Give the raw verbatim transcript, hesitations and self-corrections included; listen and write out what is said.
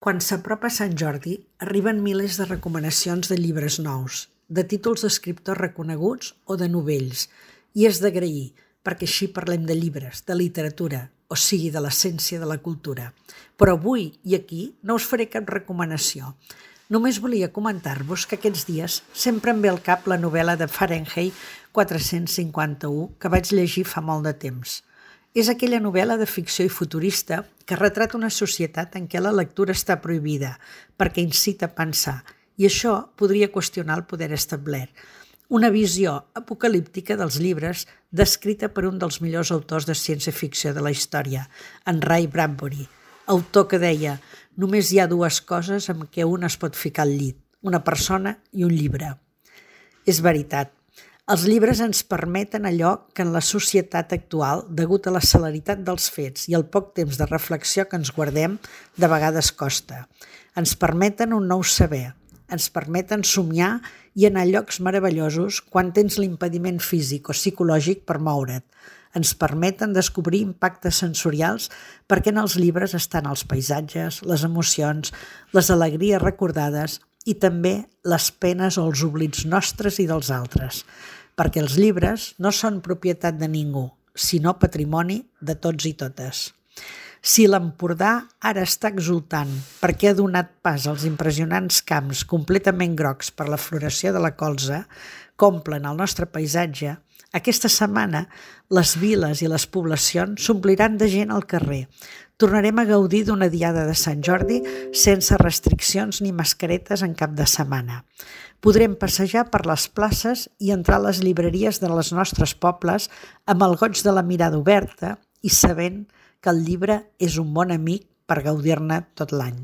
Quan s'apropa Sant Jordi, arriben milers de recomanacions de llibres nous, de títols d'escriptors reconeguts o de novells, i és d'agrair, perquè així parlem de llibres, de literatura, o sigui, de l'essència de la cultura. Però avui i aquí no us faré cap recomanació. Només volia comentar-vos que aquests dies sempre em ve al cap la novel·la de Fahrenheit quatre-cents cinquanta-u que vaig llegir fa molt de temps. És aquella novel·la de ficció i futurista que retrata una societat en què la lectura està prohibida perquè incita a pensar, i això podria qüestionar el poder establert. Una visió apocalíptica dels llibres descrita per un dels millors autors de ciència-ficció de la història, en Ray Bradbury, autor que deia: només hi ha dues coses amb què un es pot ficar al llit, una persona i un llibre. És veritat. Els llibres ens permeten allò que en la societat actual, degut a la celeritat dels fets i el poc temps de reflexió que ens guardem, de vegades costa. Ens permeten un nou saber, ens permeten somiar i anar a llocs meravellosos quan tens l'impediment físic o psicològic per moure't. Ens permeten descobrir impactes sensorials perquè en els llibres estan els paisatges, les emocions, les alegries recordades i també les penes o els oblits nostres i dels altres. Perquè els llibres no són propietat de ningú, sinó patrimoni de tots i totes. Si l'Empordà ara està exultant perquè ha donat pas als impressionants camps completament grocs per la floració de la colza que omplen el nostre paisatge, aquesta setmana les viles i les poblacions s'ompliran de gent al carrer. Tornarem a gaudir d'una diada de Sant Jordi sense restriccions ni mascaretes en cap de setmana. Podrem passejar per les places i entrar a les llibreries de les nostres pobles amb el goig de la mirada oberta i sabent que el llibre és un bon amic per gaudir-ne tot l'any.